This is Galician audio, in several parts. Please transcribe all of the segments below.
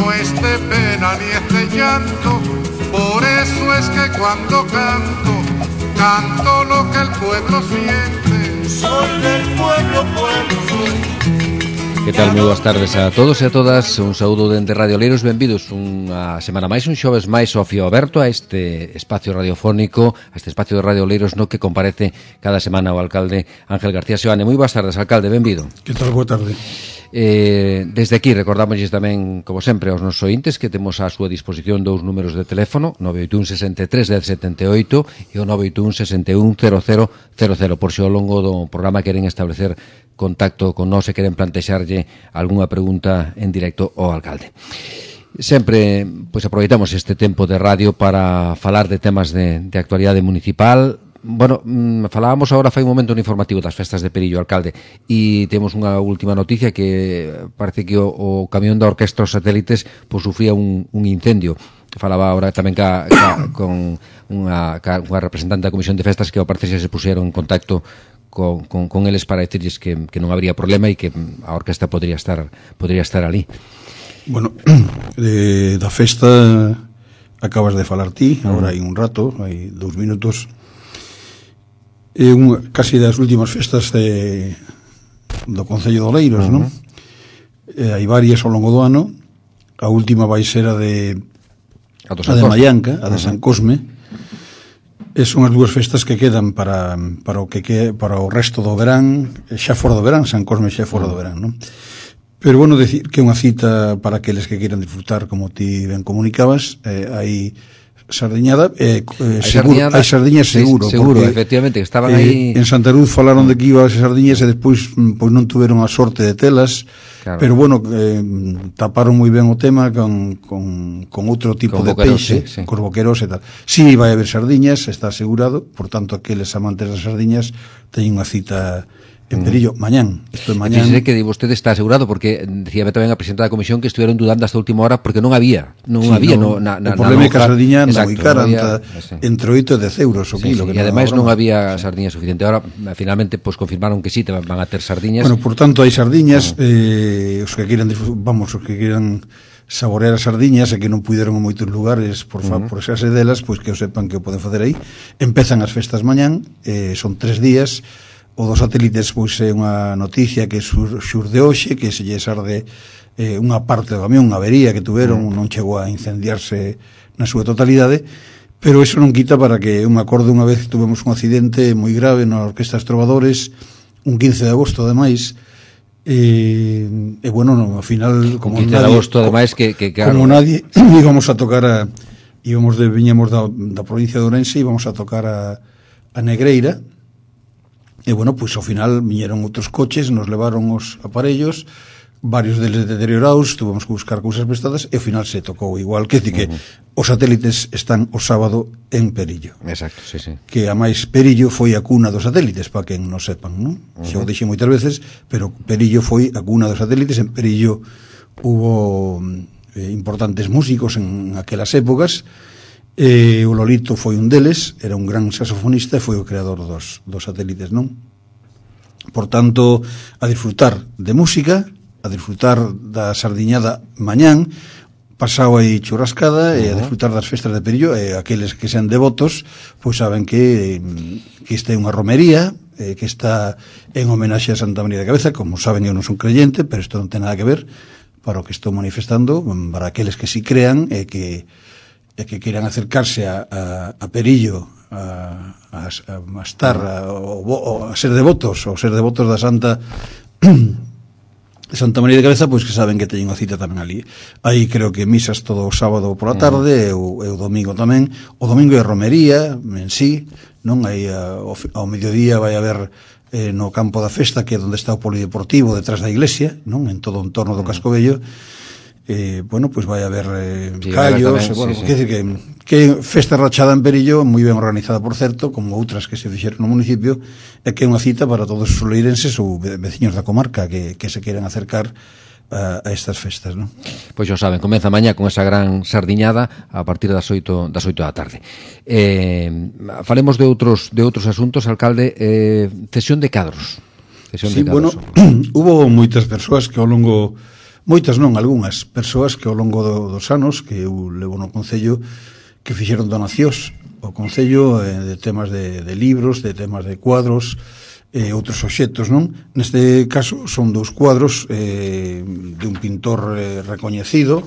no es de pena ni es de llanto, por eso es que cuando canto, canto lo que el pueblo siente. Soy del pueblo, pueblo soy. Que tal? Moi boas tardes a todos e a todas. Un saúdo dende Radio Oleiros. Benvidos unha semana máis, un xoves máis ao fío aberto a este espacio radiofónico, a este espacio de Radio Oleiros no que comparece cada semana o alcalde Ángel García Seoane. Moi boas tardes, alcalde, benvido. Que tal? Boa tarde. Desde aquí recordámosles tamén, como sempre, aos nosos ointes que temos á súa disposición dous números de teléfono, 981 63 1078 e o 981 61 0000, por se ao longo do programa queren establecer contacto con nós e queren plantexarlle algunha pregunta en directo ao alcalde. Sempre pois aproveitamos este tempo de radio para falar de temas de actualidade municipal. Bueno, falábamos agora fai un momento no informativo das festas de Perillo, alcalde, e temos unha última noticia que parece que o camión da Orquestra Os Satélites pois sufría un incendio. Falaba agora tamén con unha representante da Comisión de Festas que ao parecer se puxeron en contacto con eles para decirles que non habría problema e que a orquesta podría estar ali. Bueno, da festa acabas de falar ti, agora hai un rato, hai 2 minutos. É casi das últimas festas do Concello de Oleiros, non? Hai varias ao longo do ano. A última vai ser a de Mallanca, a de San Cosme. Son as dúas festas que quedan para o resto do verán, xa fora do verán, San Cosme xa fora do verán, non? Pero, bueno, decir que é unha cita para aqueles que queiran disfrutar, como ti ben comunicabas, hai sardiñada, hai sardiñas seguro, porque, efectivamente, estaban aí en Santa Cruz falaron de que iba as sardiñas e despois pois non tuveron a sorte de telas, claro. Pero bueno, taparon moi ben o tema con outro tipo de peixe, sí. Cos boqueros e tal. Si vai haber sardiñas, está asegurado, por tanto aqueles amantes das sardiñas teñen unha cita en Perillo, mañán. Isto é mañán. Fíxese que vostede está asegurado, porque decíame tamén a presidenta da comisión que estuvieron dudando hasta a última hora porque non había. O problema é que a sardiña anda moi cara, entre 8 e 10 euros o kilo. E ademais non había sardiña suficiente. Ahora, finalmente, pues confirmaron que sí, van a ter sardiñas. Bueno, por tanto, hai sardiñas, os que queiran saborear as sardiñas e que non puideron en moitos lugares por esase delas, pois que o sepan que o poden facer aí. Empezan as festas mañán, son 3 días. O dos satélites pois é unha noticia que xurde hoxe, que se lles arde unha parte do camión, unha avería que tuveron, non chegou a incendiarse na súa totalidade, pero iso non quita para que, eu me acordo unha vez que tuvemos un accidente moi grave na Orquesta Trovadores, un 15 de agosto ademais, e bueno, no, ao final, como 15 de agosto ademais que claro, como nadie íbamos a tocar viñamos da provincia de Ourense, íbamos a tocar a Negreira. E, bueno, pois ao final viñeron outros coches, nos levaron os aparellos, varios deles deteriorados, tuvemos que buscar cousas prestadas, e ao final se tocou igual, que dice que os satélites están o sábado en Perillo. Exacto, sí, sí. Que a máis Perillo foi a cuna dos satélites, para quen non sepan, non? Xa o dixen moitas veces, pero Perillo foi a cuna dos satélites. En Perillo hubo importantes músicos en aquelas épocas. O Lolito foi un deles, era un gran saxofonista e foi o creador dos satélites, non? Por tanto, a disfrutar de música, a disfrutar da sardiñada mañán, pasado aí churrascada, e a disfrutar das festas de Perillo, e aqueles que sean devotos pois saben que esta é unha romería, que está en homenaxe a Santa María de Cabeza. Como saben, eu non son creyente, pero isto non ten nada que ver para o que estou manifestando, para aqueles que si crean e que queiran acercarse a Perillo a estar a ser devotos da Santa María de Cabeza, pois que saben que teñen unha cita tamén ali. Aí creo que misas todo o sábado pola tarde e o domingo tamén. O domingo é romería en sí, non? Aí ao mediodía vai haber no campo da festa, que é onde está o polideportivo detrás da iglesia, non? En todo o entorno do Casco Vello. Bueno, pois vai haber callos, bueno, quer dizer que festa rachada en Perillo, moi ben organizada, por certo, como outras que se fixeron no municipio, e que é unha cita para todos os oleirenses ou veciños da comarca que se queiran acercar a estas festas, non? Pois xa saben, comeza mañá con esa gran sardiñada a partir das 8 da tarde. Falemos de outros asuntos, alcalde. Cesión de cadros. Sí, bueno, hubo moitas persoas que ao longo Moitas non, algunhas persoas que ao longo dos anos que eu levo no Concello que fixeron donacións ao Concello de temas de libros, de temas de cuadros e outros obxectos, non? Neste caso son 2 cuadros de un pintor recoñecido,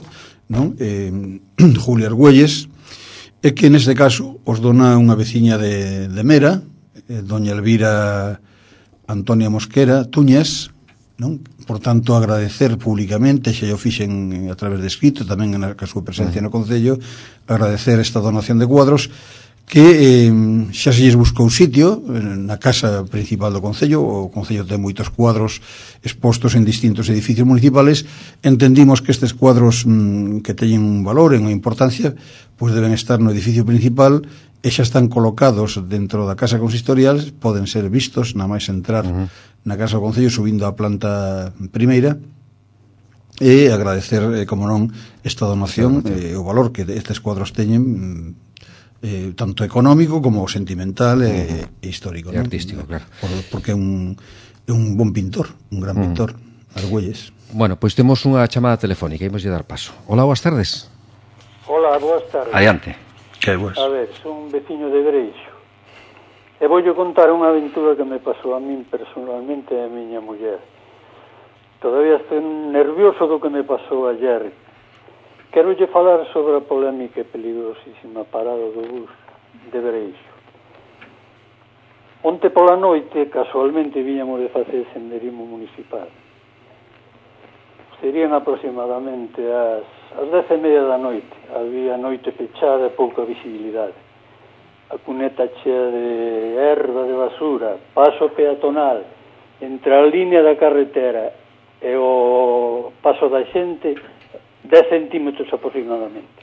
non? Julio Argüelles, e que neste caso os dona unha veciña de Mera, doña Elvira Antonia Mosquera Tuñes, non? Por tanto, agradecer públicamente, xa o fixen a través de escrito, tamén na súa presencia no Concello, agradecer esta donación de cuadros que xa se lles buscou sitio na casa principal do Concello. O Concello ten moitos cuadros expostos en distintos edificios municipales. Entendimos que estes cuadros que teñen un valor e unha importancia pois deben estar no edificio principal e xa están colocados dentro da casa consistorial, poden ser vistos na máis entrar na casa do Concello subindo a planta primeira, e agradecer, como non, esta donación, o valor que estes cuadros teñen, tanto económico como sentimental e histórico, e artístico, claro, porque é un bon pintor, un gran pintor, Argüelles. Bueno, pois temos unha chamada telefónica, imos lle dar paso. Hola, boas tardes. Hola, boas tardes. Adiante. Que boas. A ver, son un veciño de Breixo e voulle contar unha aventura que me pasou a min personalmente e a miña muller. Todavía estou nervioso do que me pasou ayer. Quero lle falar sobre a polémica e peligrosísima parada do bus de Breixo. Onte pola noite, casualmente, viñamos de facer senderismo municipal. Serían aproximadamente as 10:30 da noite. Había noite pechada e pouca visibilidade. A cuneta chea de erva, de basura, paso peatonal entre a línea da carretera e o paso da xente 10 centímetros aproximadamente.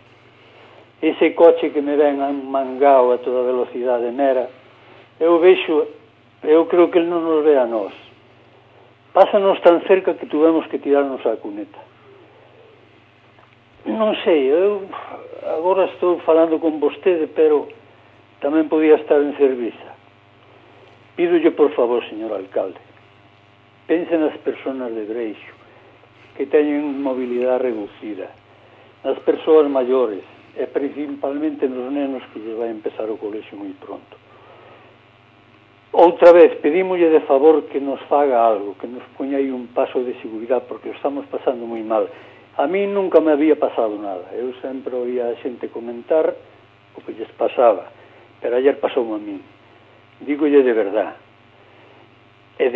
Ese coche que me ven mangao a toda velocidade nera, eu creo que ele non nos ve a nós. Pásanos tan cerca que tuvemos que tirarnos a cuneta. Non sei, eu agora estou falando con vostede, pero tamén podía estar en Cerviza. Pídolle, por favor, señor alcalde, pense nas persoas de Breixo que teñen mobilidade reducida, nas persoas maiores e principalmente nos nenos que lles vai empezar o colexio moi pronto. Outra vez, pedímolle de favor que nos faga algo, que nos poña aí un paso de seguridade, porque o estamos pasando moi mal. A mí nunca me había pasado nada, eu sempre oía a xente comentar o que lles pasaba, pero ayer pasou a min. Dígolle de verdad. E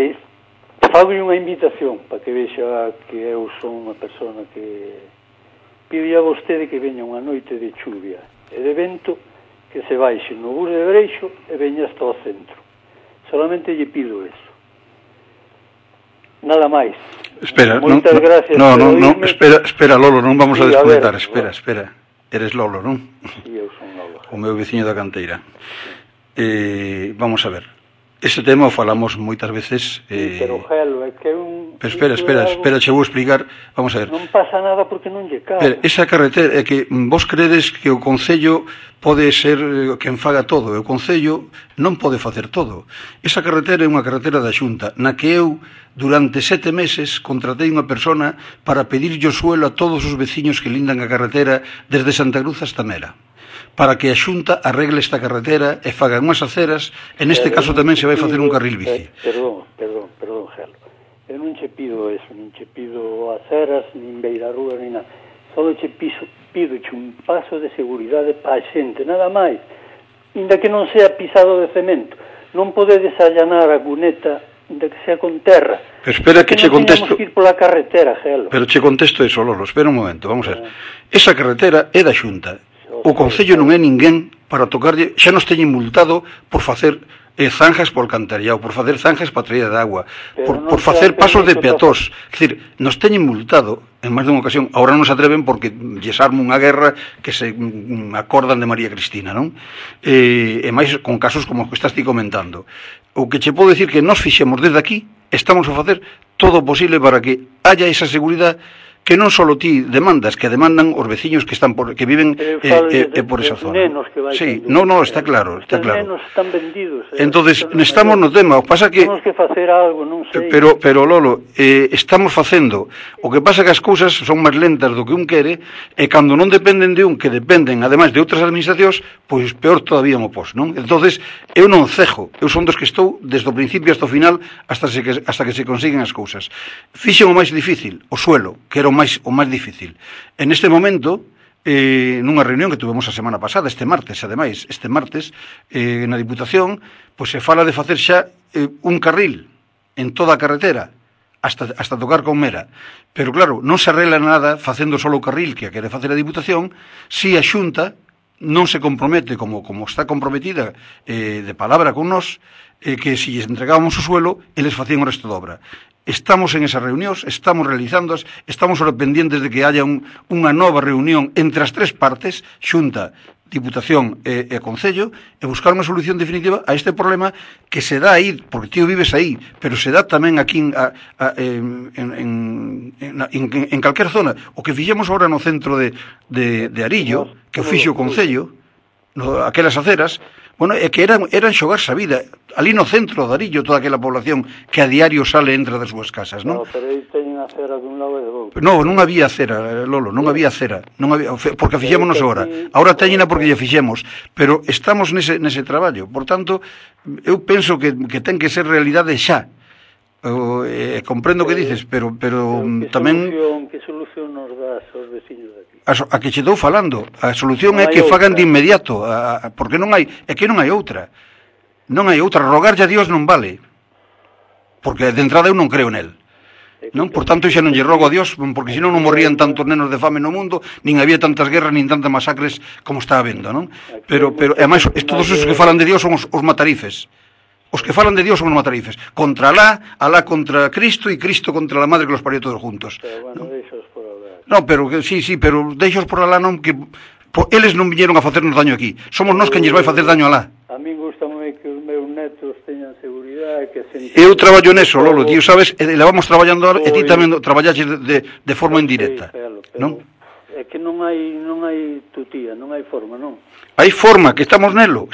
fago unha invitación para que vexa que eu son unha persona que pide a vostede que veña unha noite de chuvia e de vento, que se baixe no bus de Breixo e veña hasta o centro. Solamente lle pido eso. Nada máis. Espera, moitas gracias. Espera, Lolo, non vamos a desconectar. Ver, espera. Eres Lolo, non? Si, eu son Lolo. O meu veciño da canteira. Vamos a ver. Este tema o falamos moitas veces. Pero, Gelo, é que é un... Pero espera, che vou explicar. Vamos a ver. Non pasa nada porque non lle cabe. Esa carretera é que vos credes que o Concello pode ser quen faga todo, e o Concello non pode facer todo. Esa carretera é unha carretera da Xunta, na que eu, durante 7 meses, contratei unha persona para pedirlle o suelo a todos os veciños que lindan a carretera desde Santa Cruz hasta Mera, para que a Xunta arregle esta carretera e faga unhas aceras, e neste caso tamén se vai facer un carril bici. Perdón, Gelo. Eu non che pido eso, non che pido aceras, nin beirarrúa, nin nada. Só che pido un paso de seguridade para a xente, nada máis. Inda que non sea pisado de cemento. Non podedes allanar a cuneta, inda que sea con terra. Pero espera que che contesto. Non teñamos que ir pola carretera, Gelo. Pero che contesto eso, Lolo, espera un momento, vamos a ver. Esa carretera é da Xunta. O Concello non é ninguén para tocarlle, xa nos teñen multado por facer zanjas por alcantarillado, por facer zanjas para traída de agua, por facer pasos de peatós. É dicir, nos teñen multado en máis dunha ocasión. Ahora non se atreven porque lles arma unha guerra que se acordan de María Cristina, non? E máis con casos como os que estás ti comentando. O que che podo decir que nos fixemos desde aquí, estamos a facer todo o posible para que haya esa seguridade, que non só ti demandas, que demandan os veciños que están que viven por esa zona. Sí, está claro, está claro. Os nenos están vendidos. Entonces, estamos no tema, o pasa que temos que facer algo, non sei. Pero Lolo, estamos facendo. O que pasa que as cousas son máis lentas do que un quere, e cando non dependen de un, que dependen ademais de outras administracións, pois peor todavía mo pos, non? Entonces, eu non cejo, eu son dos que estou desde o principio hasta o final, hasta que se consiguen as cousas. Fixen o máis difícil, o suelo, que era o máis difícil. En este momento, nunha reunión que tuvemos a semana pasada, este martes, na Diputación, pois se fala de facer xa un carril en toda a carretera, hasta tocar con Mera. Pero claro, non se arregla nada facendo solo o carril que a quere facer a Diputación, si a Xunta non se compromete, como está comprometida de palabra con nós, que si lles entregábamos o suelo, eles facían o resto de obra. Estamos en esas reunións, estamos realizándoas, estamos ahora pendientes de que haya unha nova reunión entre as tres partes, Xunta, Diputación e Concello, e buscar unha solución definitiva a este problema que se dá aí, porque tío vives aí, pero se dá tamén aquí en calquera zona. O que fixemos agora no centro de Arillo, que o fixo o Concello, aquelas aceras, bueno, é que eran xogarse a vida. Ali no centro de Arillo, toda aquela población que a diario sale e entra das súas casas, non? No, pero aí teñen a cera dun lado e do outro. Non había cera, Lolo, non había cera. Porque a fixémonos agora. Agora teñena porque lle fixemos. Pero estamos nese traballo. Por tanto, eu penso que ten que ser realidade xa. Comprendo o que dices, pero tamén... Que solución nos das aos veciños de aquí? A que che estou falando. A solución é que fagan de inmediato, porque non hai outra. Non hai outra. Rogarlle a Dios non vale. Porque de entrada eu non creo nel. Non? Por tanto, xa non lle rogo a Dios, porque senón non morrían tantos nenos de fame no mundo, nin había tantas guerras, nin tantas masacres como está habendo, non? Pero ademais, todos esos que falan de Dios son os matarifes. Os que falan de Dios son os matarifes. Contra Alá contra Cristo, e Cristo contra la madre que los parió todos juntos. Pero bueno, deixos por Alá. No, pero sí, pero deixos por Alá non, que eles non viñeron a facernos daño aquí. Somos nós quen lles vai facer daño a Alá. A min gusta moi que os meus netos teñan seguridade, que se... Eu traballo neso, Lolo, tío, sabes, levamos traballando ahora, e ti tamén traballaches de forma indirecta, non? É que non hai tutía, non hai forma, non? Hai forma, que estamos nelo,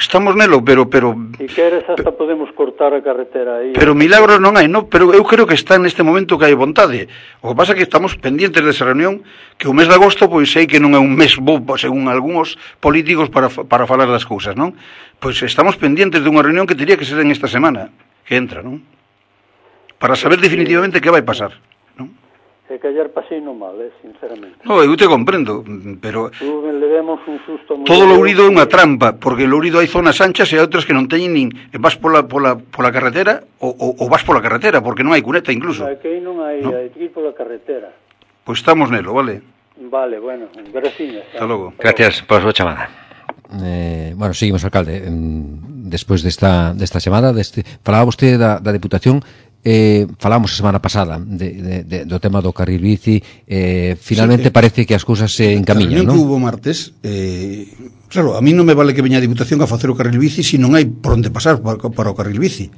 pero... E queres hasta podemos cortar a carretera aí. Pero milagros non hai, non? Pero eu creo que está neste momento que hai vontade. O que pasa é que estamos pendientes desa reunión, que o mes de agosto, pois sei que non é un mes bo, según algúns políticos, para falar das cousas, non? Pois estamos pendientes de unha reunión que teria que ser en esta semana, que entra, non? Para saber definitivamente que vai pasar, non? E callar pasei no mal, sinceramente. No, eu te comprendo, pero... Levemos un susto moi... Todo Lourido é unha trampa, porque en Lourido hai zonas anchas e hai outras que non teñen nin... Vas pola carretera ou vas pola carretera, porque non hai cuneta incluso. Aquí non hai, no? Hai que ir pola carretera. Pois estamos nelo, vale? Vale, bueno, gracias. Hasta logo. Gracias por a súa chamada. Bueno, seguimos, alcalde. Despois desta chamada, falaba vostede da Deputación. Falamos a semana pasada do tema do carril bici, finalmente parece que as cousas se encamiñan, non? A reunión que hubo martes, claro, a mí non me vale que veña a Diputación a facer o carril bici se non hai por onde pasar para o carril bici.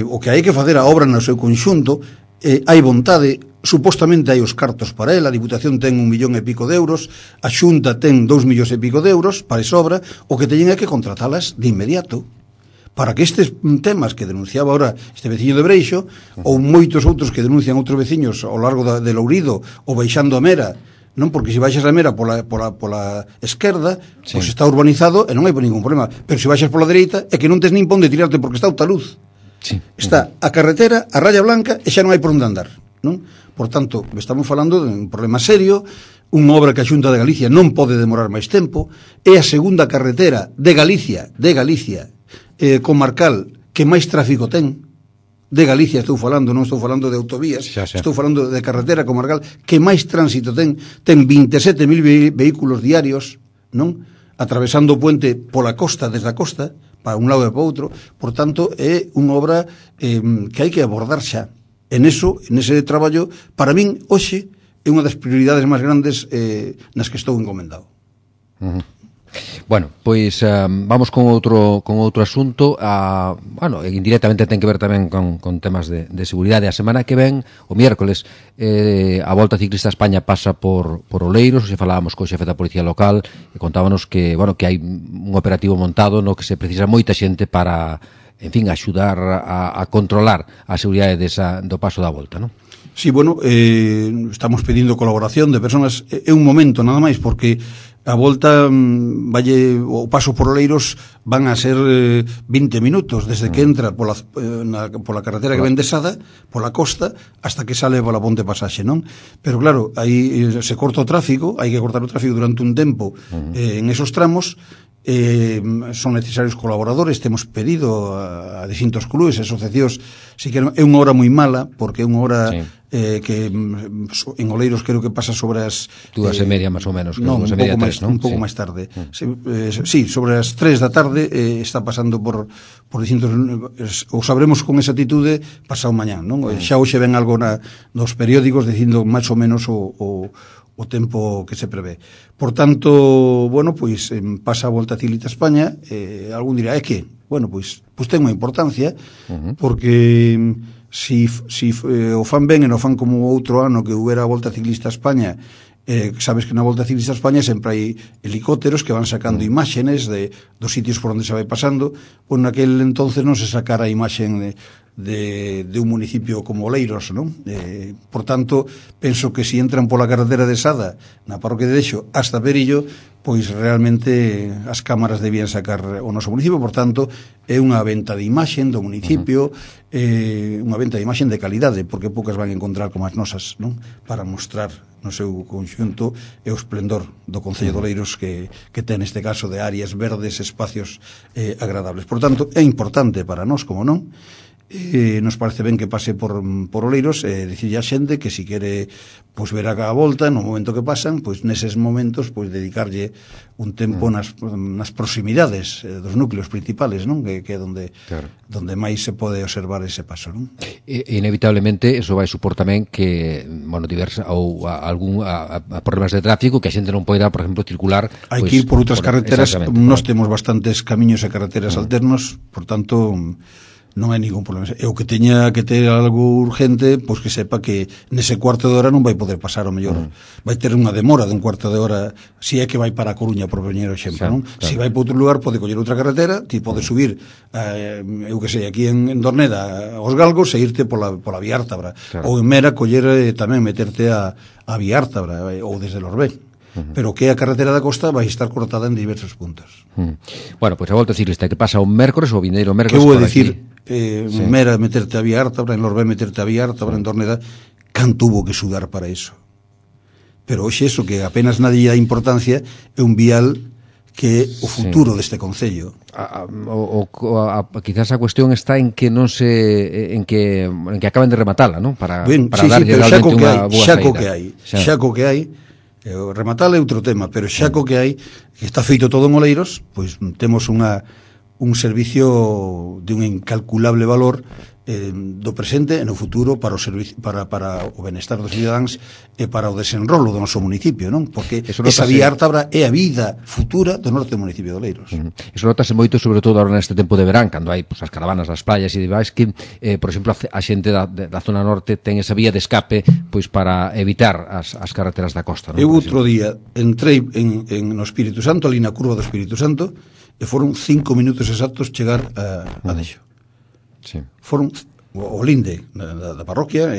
O que hai que facer a obra no seu conxunto, hai vontade, supostamente hai os cartos para ela, a Diputación ten 1,000,000 e pico de euros, a Xunta ten 2,000,000 e pico de euros para esa obra, o que teñen é que contratalas de inmediato, para que estes temas que denunciaba ahora este veciño de Breixo, ou moitos outros que denuncian outros veciños ao largo de Lourido, ou baixando a Mera, non? Porque se baixas a Mera pola esquerda, sí, pois está urbanizado e non hai ningún problema, pero se baixas pola dereita é que non tes nin pon de tirarte porque está outra luz, sí, está a carretera, a raya blanca e xa non hai por onde andar, non? Por tanto, estamos falando de un problema serio, unha obra que a Xunta de Galicia non pode demorar máis tempo, é a segunda carretera de Galicia comarcal que máis tráfico ten de Galicia, estou falando, non estou falando de autovías, estou falando de carretera comarcal que máis tránsito ten 27.000 vehículos diarios, non? Atravesando o puente pola costa, desde a costa para un lado e para outro. Por tanto, é unha obra que hai que abordar xa. Nese traballo, para min, hoxe, é unha das prioridades máis grandes nas que estou encomendado. Bueno, pois vamos con outro asunto. Bueno, indirectamente ten que ver tamén con temas de seguridade. A semana que ven, o miércoles, a Volta Ciclista a España pasa por Oleiros. Se falábamos co xefe da Policía Local e contábanos que hai un operativo montado no que se precisa moita xente para, en fin, axudar a controlar a seguridade do paso da Volta, non? Sí, bueno, estamos pedindo colaboración de personas. É un momento nada máis, porque a volta o paso por Oleiros van a ser 20 minutos desde que entra pola carretera que ven de Sada, pola costa, hasta que sale pola ponte pasaxe, non? Pero claro, aí se corta o tráfico, hai que cortar o tráfico durante un tempo en esos tramos. Son necesarios colaboradores. Temos pedido a distintos clubes e asociacións. Si que é unha hora moi mala, porque é unha hora que en Oleiros creo que pasa sobre as 2:30 máis ou menos, non, un pouco máis tarde. Sí, sobre as 3 da tarde está pasando por distintos. O sabremos con esa atitude pasado mañán, non? Xa hoxe ven algo nos periódicos dicindo máis ou menos o tempo que se prevé. Por tanto, bueno, pois pasa a Volta Ciclista a España. Algún dirá, que? Bueno, pois ten unha importancia, porque si o fan ben e non fan como outro ano que houbera a Volta Ciclista a España. Sabes que na Volta Ciclista a España sempre hai helicópteros que van sacando imágenes dos sitios por onde se vai pasando. Pois naquel entonces non se sacara a imaxen de un municipio como Oleiros, non? Por tanto, penso que si entran pola carretera de Sada na parroquia de Dexo hasta Perillo, pois realmente as cámaras debían sacar o noso municipio. Por tanto, é unha venta de imaxen do municipio, unha venta de imaxen de calidade, porque poucas van encontrar como as nosas, non? Para mostrar no seu conxunto e o esplendor do Concello de Oleiros que ten neste caso de áreas verdes, espacios agradables. Por tanto, é importante para nós, como non. Nos parece ben que pase por Oleiros e dicirlle a xente que si quere pois ver a volta no momento que pasan, pois neses momentos pois dedicarlle un tempo nas proximidades dos núcleos principales, non? Que é donde máis se pode observar ese paso, non? Inevitablemente eso vai supor tamén que, bueno, problemas de tráfico, que a xente non poida, por exemplo, circular. Hai que ir por outras carreteras. Nós temos bastantes camiños e carreteras alternos, por tanto non hai ningún problema. E o que teña que ter algo urgente, pois que sepa que nese cuarto de hora non vai poder pasar, o mellor vai ter unha demora de un cuarto de hora, si é que vai para a Coruña, por poñer o exemplo, non? Si vai para outro lugar, pode coller outra carretera, ti pode subir eu que sei, aquí en Dorneda aos Galgos e irte pola Vía Ártabra, ou en Mera coller tamén meterte a Vía Ártabra ou desde Lorbén. Pero que a carretera da costa vai estar cortada en diversos puntos. Bueno, pois a Volta Ciclista que pasa un mércores, o vindeiro mércores. Que vou dicir, en Mera meterte a Vía Ártabra, en Lorbén meterte a Vía Ártabra, en Dorneda, can tuvo que sudar para iso. Pero hoxe eso, que apenas nadie dá importancia, é un vial que é o futuro deste concello. Quizás a cuestión está en que non se en que acaben de rematala, non? Para darlle realmente unha boa saída. Xa co que hai, rematar é outro tema, pero xa co que hai, que está feito todo en Oleiros, pois temos un servicio de un incalculable valor do presente e no futuro para o servicio, para o benestar dos cidadáns e para o desenrolo do noso municipio, non? Porque esa Vía Ártabra é a vida futura do norte do municipio de Oleiros. Eso notase moito, sobre todo agora neste tempo de verán, cando hai as caravanas nas playas e demais, que, por exemplo, a xente da zona norte ten esa vía de escape pois para evitar as carreteras da costa, non? Eu outro día entrei no Espírito Santo, ali na curva do Espírito Santo, e foron 5 minutos exactos chegar a Dexo. Sí. Foron o linde da parroquia,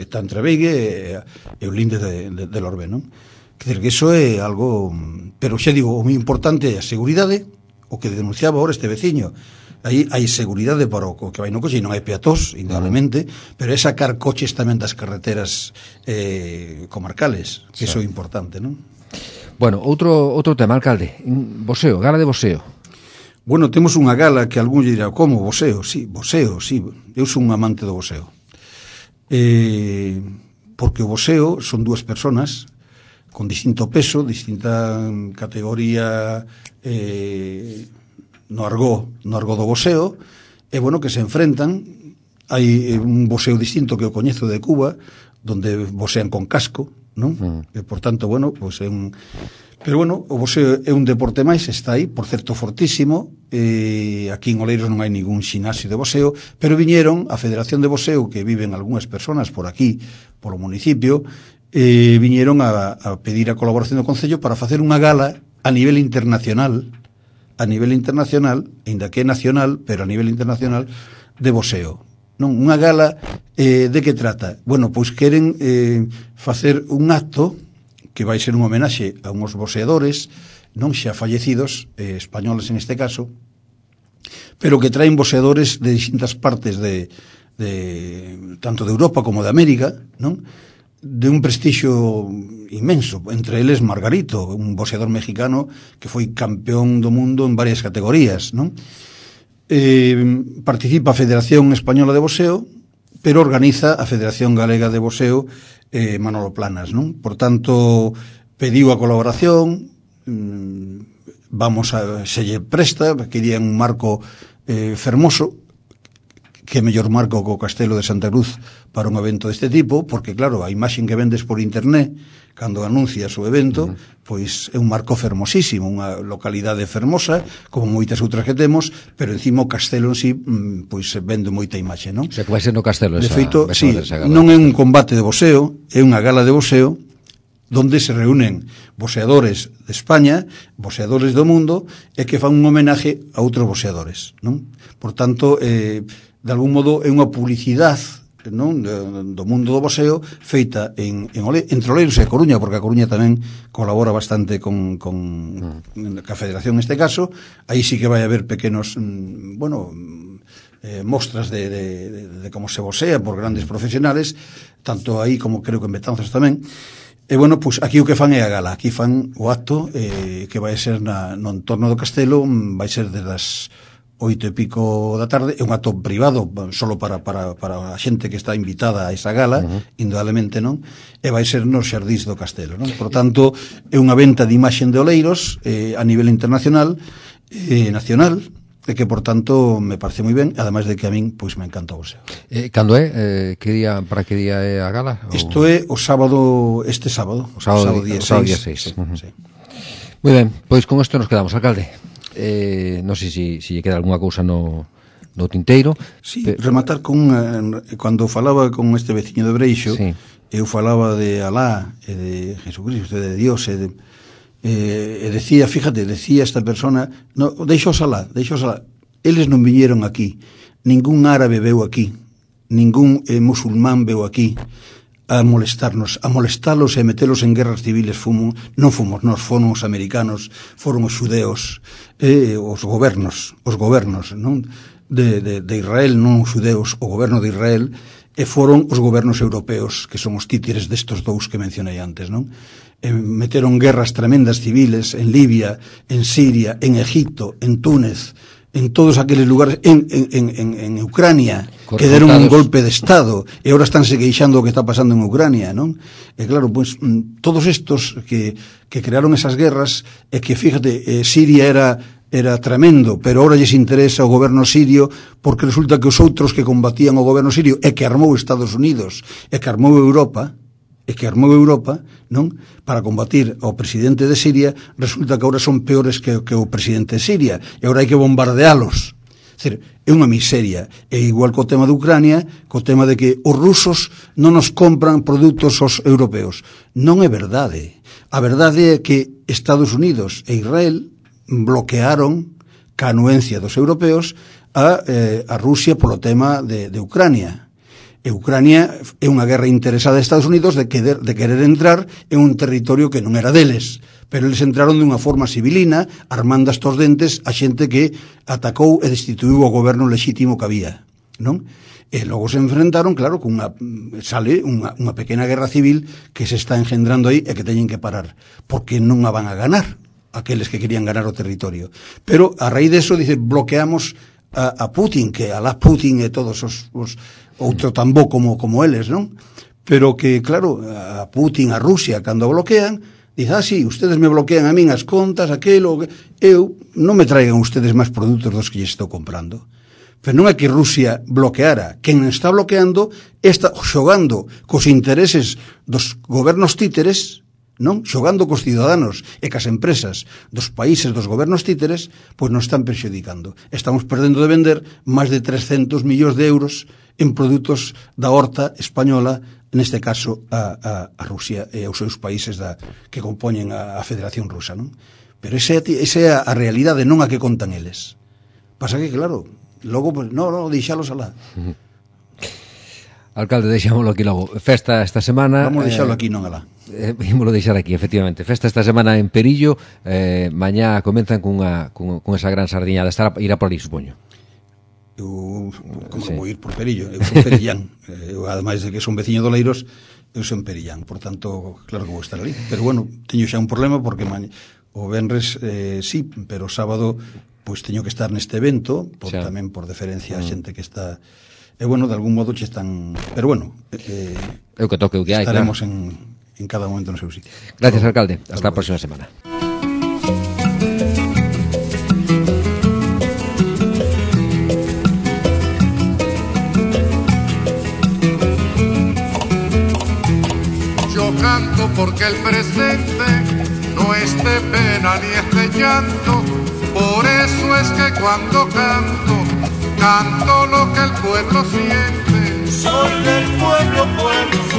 está entre Beigue e o linde de Lorbén, non? Quer dizer que iso é algo, pero xa digo, o moi importante é a seguridade, o que denunciaba ahora este veciño. Aí hai seguridade para o que vai no coche, e non hai peatós, indudablemente, pero é sacar coches tamén das carreteras comarcales, que iso é importante, non? Bueno, outro tema, alcalde, boxeo, gala de boxeo. Bueno, temos unha gala que algún lle dirá, como, boxeo? Sí, boxeo, sí, eu son un amante do boxeo. Porque o boxeo son dúas personas con distinto peso, distinta categoría no argó do boxeo, e bueno, que se enfrentan. Hai un boxeo distinto que o coñezo de Cuba, donde boxean con casco, non? E, por tanto, bueno, pues é un... Pero bueno, o boxeo é un deporte máis, está aí, por certo fortísimo, aquí en Oleiros non hai ningún xinasio de boxeo, pero viñeron a Federación de Boxeo, que viven algunhas personas por aquí, polo municipio, viñeron a pedir a colaboración do Concello para facer unha gala a nivel internacional, ainda que é nacional, pero a nivel internacional, de boxeo. Non, unha gala de que trata? Bueno, pois queren facer un acto que vai ser un homenaxe a uns boxeadores non xa fallecidos, españoles en este caso, pero que traen boxeadores de distintas partes tanto de Europa como de América, non? De un prestigio inmenso, entre eles Margarito, un boxeador mexicano que foi campeón do mundo en varias categorías, non? Participa a Federación Española de Boxeo, pero organiza a Federación Galega de Boxeo, Manolo Planas, non? Por tanto, pediu a colaboración, se lle presta, querían un marco fermoso, que mellor marco co Castelo de Santa Cruz para un evento deste tipo, porque claro, a imaxen que vendes por internet cando anuncias o evento, pois é un marco fermosísimo, unha localidade fermosa, como moitas outras que temos, pero encima o castelo en sí, pois vende moita imaxe, non? O sea, que vai ser no castelo esa, de feito, sí, non é un combate de boxeo, é unha gala de boxeo donde se reúnen boxeadores de España, boxeadores do mundo, e que fan un homenaje a outros boxeadores, non? Por tanto, de algún modo é unha publicidade, non, do mundo do boxeo feita entre Oleiros e a Coruña, porque a Coruña tamén colabora bastante con a Federación neste caso. Aí sí que vai haber pequenos mostras de como se boxea por grandes profesionales, tanto aí como creo que en Betanzos tamén. E bueno, pois aquí o que fan é a gala, aquí fan o acto que vai ser no entorno do castelo, vai ser desde as 8:00 da tarde, é un acto privado solo para a xente que está invitada a esa gala, indudablemente, non? E vai ser nos xardís do castelo, non? Por tanto, é unha venta de imaxen de Oleiros a nivel internacional e nacional, e que, por tanto, me parece moi ben, ademais de que a min, pois, me encanta o boxeo. Cando é? Para que día é a gala? Isto é o sábado, este sábado. O sábado día 6. Sí. Moi ben, pois con isto nos quedamos, alcalde. Non sei se lle queda algunha cousa no tinteiro. Sí, rematar con cando falaba con este veciño de Breixo, sí. Eu falaba de Alá e de Jesucristo, de Dios e decía, fíjate, decía esta persona, no, deixos alá, eles non viñeron aquí, ningún árabe veu aquí, ningún musulmán veu aquí a molestarnos, a molestalos e metelos en guerras civiles. Non fomos nós, foron os americanos, foron os xudeos, os gobernos, non? De Israel, non os xudeos, o goberno de Israel, e foron os gobernos europeos, que son os títeres destos dous que mencionei antes, non? Meteron guerras tremendas civiles en Libia, en Siria, en Egipto, en Túnez, en todos aqueles lugares, en Ucrania, que deron un golpe de Estado, e agora estánse queixando o que está pasando en Ucrania, non? E claro, pois, todos estos que crearon esas guerras, e que, fíjate, Siria era tremendo, pero ahora lles interesa o goberno sirio, porque resulta que os outros que combatían o goberno sirio, e que armou Estados Unidos, e que armou Europa, non? Para combatir ao presidente de Siria, resulta que agora son peores que o presidente de Siria, e agora hai que bombardealos. É unha miseria. É igual co tema de Ucrania, co tema de que os rusos non nos compran produtos aos europeos. Non é verdade. A verdade é que Estados Unidos e Israel bloquearon ca anuencia dos europeos a Rusia polo tema de Ucrania. E Ucrania é unha guerra interesada de Estados Unidos de querer entrar en un territorio que non era deles, pero eles entraron dunha forma civilina, armando hasta os dentes a xente que atacou e destituiu o goberno lexítimo que había, non? E logo se enfrentaron, claro, sale unha pequena guerra civil que se está engendrando aí e que teñen que parar, porque non a van a ganar aqueles que querían ganar o territorio. Pero a raíz de eso, dice, bloqueamos a Putin, que alá Putin e todos os outro tambó como eles, non? Pero que, claro, a Putin, a Rusia, cando bloquean, dice, sí, ustedes me bloquean a min as contas, aquelo, eu, non me traigan ustedes máis produtos dos que lles estou comprando. Pero non é que Rusia bloqueara, quen está bloqueando está xogando cos intereses dos gobernos títeres, non? Xogando cos ciudadanos e cas empresas dos países dos gobernos títeres, pois nos están perxudicando. Estamos perdendo de vender máis de 300 millóns de euros en produtos da horta española, neste caso a Rusia e aos seus países que compoñen a Federación Rusa, non? Pero esa é a realidade, non a que contan eles. Pasa que, claro, logo, pues, non, deixalos alá. Alcalde, deixámoslo aquí logo. Festa esta semana... Vamos deixalo aquí, non alá. Ímolo deixar aquí, efectivamente. Festa esta semana en Perillo. Mañá comenzan con esa gran sardiñada. Irá por ali, supoño. Eu, como sí. Vou ir por Perillo? Eu son perillán. Eu, ademais de que son veciño do Leiros, eu son perillán. Por tanto, claro que vou estar ali. Pero bueno, teño xa un problema porque o venres sí, pero o sábado pois teño que estar neste evento, tamén por deferencia a xente que está... E bueno, de algún modo che están... Pero bueno, eu que toque o que hai, estaremos claro. en cada momento no seu sitio. Gracias, alcalde. Hasta a próxima semana. Yo canto porque el presente no es de pena ni es de llanto. Por eso es que cuando canto lo que el pueblo siente. Soy del pueblo, pueblo.